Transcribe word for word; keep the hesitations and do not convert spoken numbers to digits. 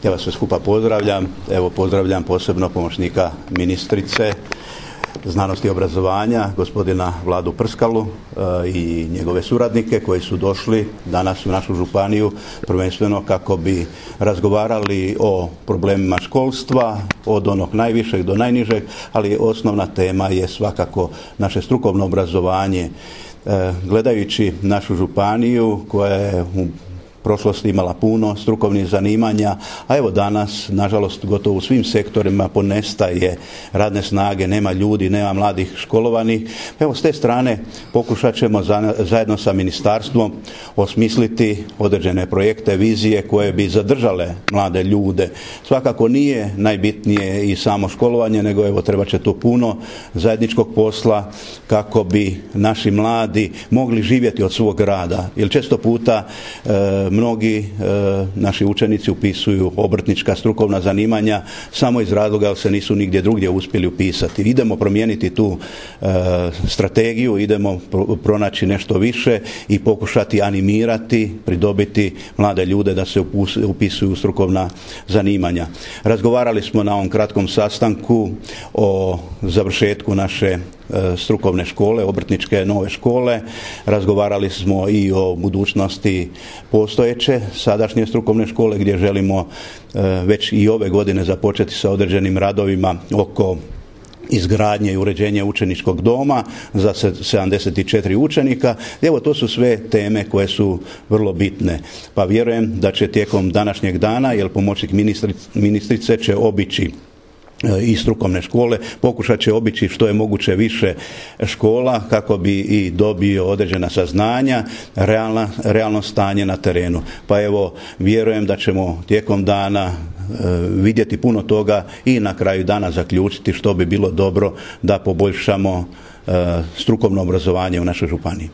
Ja vas sve skupa pozdravljam. Evo pozdravljam posebno pomoćnika ministrice znanosti i obrazovanja, gospodina Vladu Prskalu i njegove suradnike koji su došli danas u našu županiju prvenstveno kako bi razgovarali o problemima školstva od onog najvišeg do najnižeg, ali osnovna tema je svakako naše strukovno obrazovanje. Gledajući našu županiju koja je u prošlosti imala puno strukovnih zanimanja, a evo danas, nažalost, gotovo u svim sektorima ponestaje radne snage, nema ljudi, nema mladih školovanih. Evo, s te strane pokušat ćemo zajedno sa ministarstvom osmisliti određene projekte, vizije koje bi zadržale mlade ljude. Svakako nije najbitnije i samo školovanje, nego evo treba će tu puno zajedničkog posla kako bi naši mladi mogli živjeti od svog rada. Jer često puta e, mnogi e, naši učenici upisuju obrtnička strukovna zanimanja samo iz razloga jer se nisu nigdje drugdje uspjeli upisati. Idemo promijeniti tu e, strategiju, idemo pro, pronaći nešto više i pokušati animirati, pridobiti mlade ljude da se upisuju u strukovna zanimanja. Razgovarali smo na ovom kratkom sastanku o završetku naše strukovne škole, obrtničke nove škole. Razgovarali smo i o budućnosti postojeće sadašnje strukovne škole gdje želimo već i ove godine započeti sa određenim radovima oko izgradnje i uređenje učeničkog doma za sedamdeset četiri učenika. Evo, to su sve teme koje su vrlo bitne. Pa vjerujem da će tijekom današnjeg dana, jer pomoćnik ministrice će obići i strukovne škole, pokušat će obići što je moguće više škola kako bi i dobio određena saznanja, realna, realno stanje na terenu. Pa evo, vjerujem da ćemo tijekom dana e, vidjeti puno toga i na kraju dana zaključiti što bi bilo dobro da poboljšamo e, strukovno obrazovanje u našoj županiji.